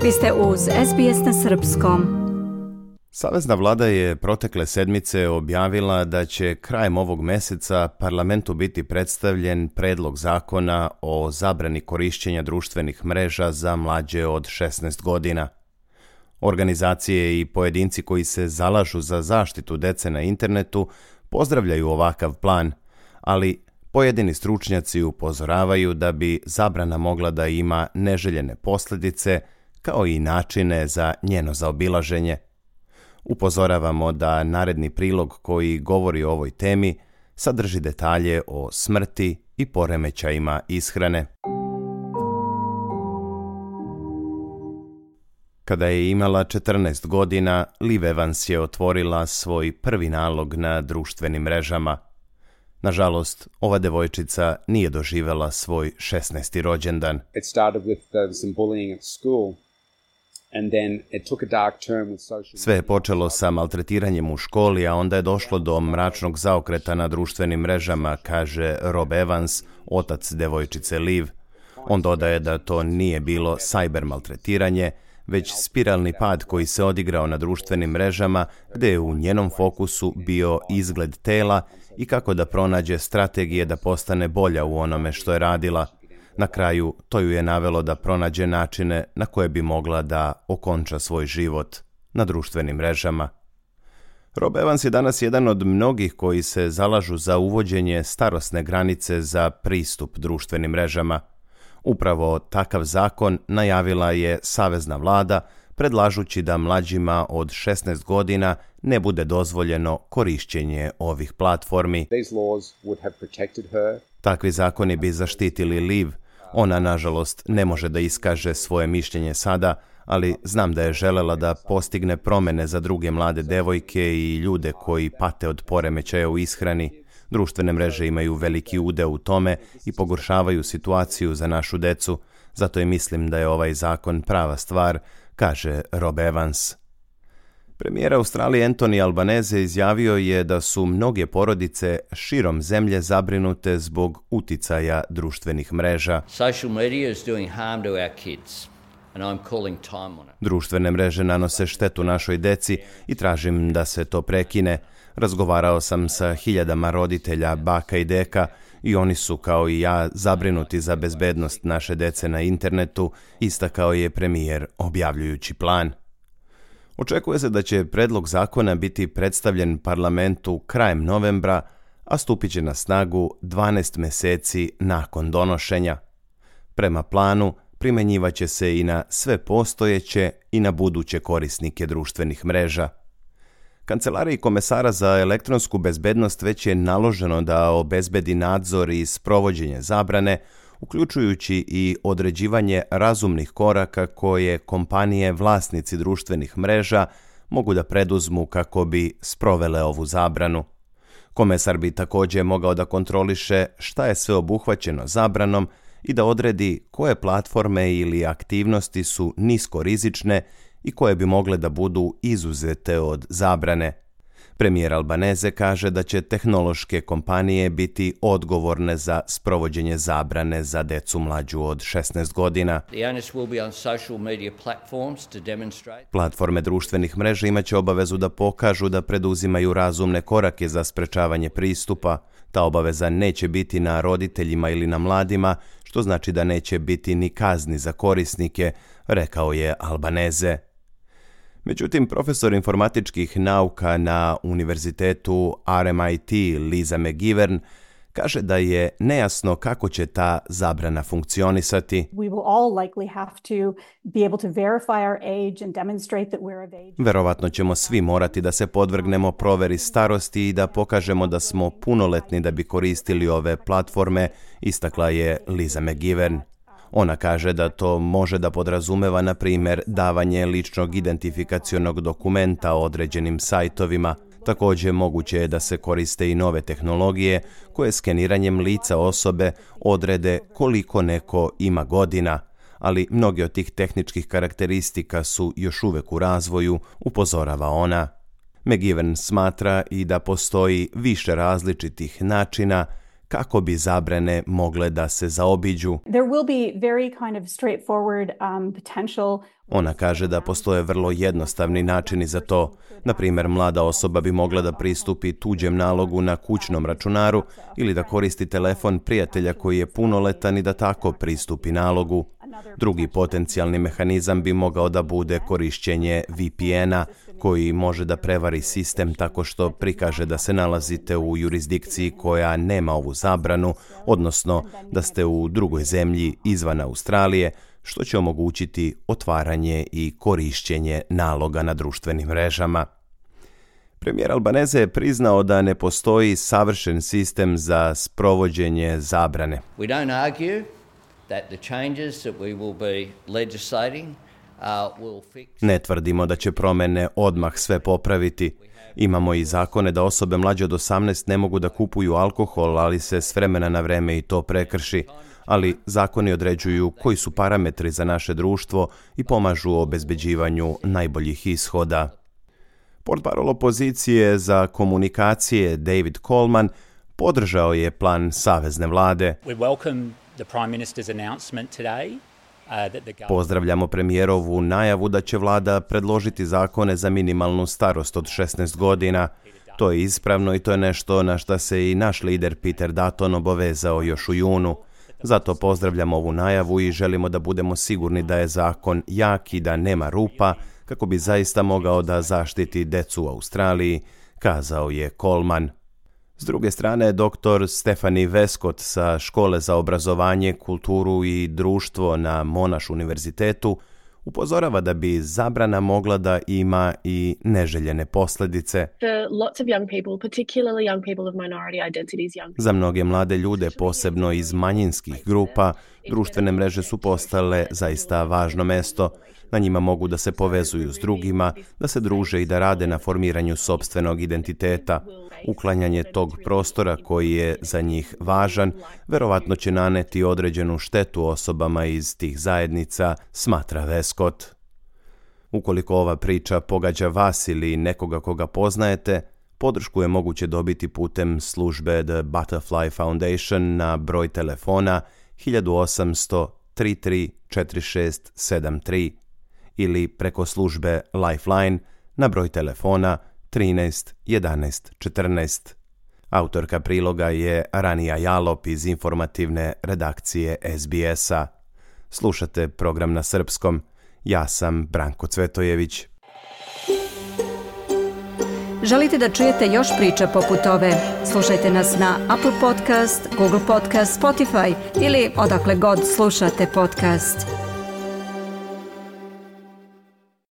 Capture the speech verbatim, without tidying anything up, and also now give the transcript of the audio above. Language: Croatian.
Vi ste uz S B S na srpskom. Savezna vlada je protekle sedmice objavila da će krajem ovog meseca parlamentu biti predstavljen predlog zakona o zabrani korišćenja društvenih mreža za mlađe od šesnaest godina. Organizacije i pojedinci koji se zalažu za zaštitu dece na internetu pozdravljaju ovakav plan, ali pojedini stručnjaci upozoravaju da bi zabrana mogla da ima neželjene posljedice kao i načine za njeno zaobilaženje. Upozoravamo da naredni prilog koji govori o ovoj temi sadrži detalje o smrti i poremećajima ishrane. Kada je imala četrnaest godina, Liv Evans je otvorila svoj prvi nalog na društvenim mrežama. Nažalost, ova devojčica nije doživela svoj šesnaesti rođendan. It started with uh, some bullying at school. And then it took a dark turn with social... Sve je počelo sa maltretiranjem u školi, a onda je došlo do mračnog zaokreta na društvenim mrežama, kaže Rob Evans, otac devojčice Liv. On dodaje da to nije bilo cyber maltretiranje, već spiralni pad koji se odigrao na društvenim mrežama, gdje je u njenom fokusu bio izgled tela i kako da pronađe strategije da postane bolja u onome što je radila. Na kraju, to ju je navelo da pronađe načine na koje bi mogla da okonča svoj život na društvenim mrežama. Rob Evans je danas jedan od mnogih koji se zalažu za uvođenje starosne granice za pristup društvenim mrežama. Upravo takav zakon najavila je savezna vlada, predlažući da mlađima od šesnaest godina ne bude dozvoljeno korišćenje ovih platformi. These laws would have protected her. Takvi zakoni bi zaštitili Liv. Ona, nažalost, ne može da iskaže svoje mišljenje sada, ali znam da je želela da postigne promene za druge mlade devojke i ljude koji pate od poremećaja u ishrani. Društvene mreže imaju veliki udeo u tome i pogoršavaju situaciju za našu decu, zato i mislim da je ovaj zakon prava stvar, kaže Rob Evans. Premijer Australije Anthony Albanese izjavio je da su mnoge porodice širom zemlje zabrinute zbog uticaja društvenih mreža. Social media is doing harm to our kids, and I'm calling time on it. Društvene mreže nanose štetu našoj deci i tražim da se to prekine. Razgovarao sam sa hiljadama roditelja, baka i deka, i oni su, kao i ja, zabrinuti za bezbednost naše dece na internetu, istakao je premijer objavljujući plan. Očekuje se da će predlog zakona biti predstavljen parlamentu krajem novembra, a stupit će na snagu dvanaest meseci nakon donošenja. Prema planu, primjenjivaće se i na sve postojeće i na buduće korisnike društvenih mreža. Kancelariji komesara za elektronsku bezbednost već je naloženo da obezbedi nadzor i sprovođenje zabrane, uključujući i određivanje razumnih koraka koje kompanije vlasnici društvenih mreža mogu da preduzmu kako bi sprovele ovu zabranu. Komesar bi također mogao da kontroliše šta je sve obuhvaćeno zabranom i da odredi koje platforme ili aktivnosti su niskorizične i koje bi mogle da budu izuzete od zabrane. Premijer Albanese kaže da će tehnološke kompanije biti odgovorne za sprovođenje zabrane za decu mlađu od šesnaest godina. Platforme društvenih mreža imaće obavezu da pokažu da preduzimaju razumne korake za sprečavanje pristupa. Ta obaveza neće biti na roditeljima ili na mladima, što znači da neće biti ni kazni za korisnike, rekao je Albanese. Međutim, profesor informatičkih nauka na univerzitetu R M I T Lisa McGivern kaže da je nejasno kako će ta zabrana funkcionisati. Verovatno ćemo svi morati da se podvrgnemo proveri starosti i da pokažemo da smo punoletni da bi koristili ove platforme, istakla je Lisa McGivern. Ona kaže da to može da podrazumeva, na primjer, davanje ličnog identifikacionog dokumenta određenim sajtovima. Također moguće je da se koriste i nove tehnologije koje skeniranjem lica osobe odrede koliko neko ima godina, ali mnoge od tih tehničkih karakteristika su još uvek u razvoju, upozorava ona. McGivern smatra i da postoji više različitih načina kako bi zabrane mogle da se zaobiđu. There will be very kind of straightforward um, potential. Ona kaže da postoje vrlo jednostavni načini za to. Na primjer, mlada osoba bi mogla da pristupi tuđem nalogu na kućnom računaru ili da koristi telefon prijatelja koji je punoletan i da tako pristupi nalogu. Drugi potencijalni mehanizam bi mogao da bude korišćenje V P N-a, koji može da prevari sistem tako što prikaže da se nalazite u jurisdikciji koja nema ovu zabranu, odnosno da ste u drugoj zemlji izvan Australije, što će omogućiti otvaranje i korišćenje naloga na društvenim mrežama. Premijer Albanese je priznao da ne postoji savršen sistem za sprovođenje zabrane. We don't argue that the changes that we will be legislating uh, will fix... Ne tvrdimo da će promjene odmah sve popraviti. Imamo i zakone da osobe mlađe od osamnaest ne mogu da kupuju alkohol, ali se s vremena na vreme i to prekrši. Ali zakoni određuju koji su parametri za naše društvo i pomažu u obezbeđivanju najboljih ishoda. Portparol opozicije za komunikacije David Coleman podržao je plan savezne vlade. We welcome the Prime Minister's announcement today. Uh, that the government... Pozdravljamo premijerovu najavu da će vlada predložiti zakone za minimalnu starost od šesnaest godina. To je ispravno i to je nešto na šta se i naš lider Peter Dutton obavezao još u junu. Zato pozdravljamo ovu najavu i želimo da budemo sigurni da je zakon jak i da nema rupa, kako bi zaista mogao da zaštiti decu u Australiji, kazao je Coleman. S druge strane, doktor Stephanie Westcott sa Škole za obrazovanje, kulturu i društvo na Monash univerzitetu upozorava da bi zabrana mogla da ima i neželjene posljedice. Za mnoge mlade ljude, posebno iz manjinskih grupa, društvene mreže su postale zaista važno mesto. Na njima mogu da se povezuju s drugima, da se druže i da rade na formiranju sopstvenog identiteta. Uklanjanje tog prostora koji je za njih važan, verovatno će naneti određenu štetu osobama iz tih zajednica, smatra Westcott. Ukoliko ova priča pogađa vas ili nekoga koga poznajete, podršku je moguće dobiti putem službe The Butterfly Foundation na broj telefona hiljadu osamsto tri tri četiri šest sedam tri ili preko službe Lifeline na broj telefona trinaest jedanaest četrnaest. Autorka priloga je Ranija Jalop iz informativne redakcije S B S-a. Slušate program na srpskom. Ja sam Branko Cvetojević. Želite da čujete još priča poput ove? Slušajte nas na Apple Podcast, Google Podcast, Spotify ili odakle god slušate podcast.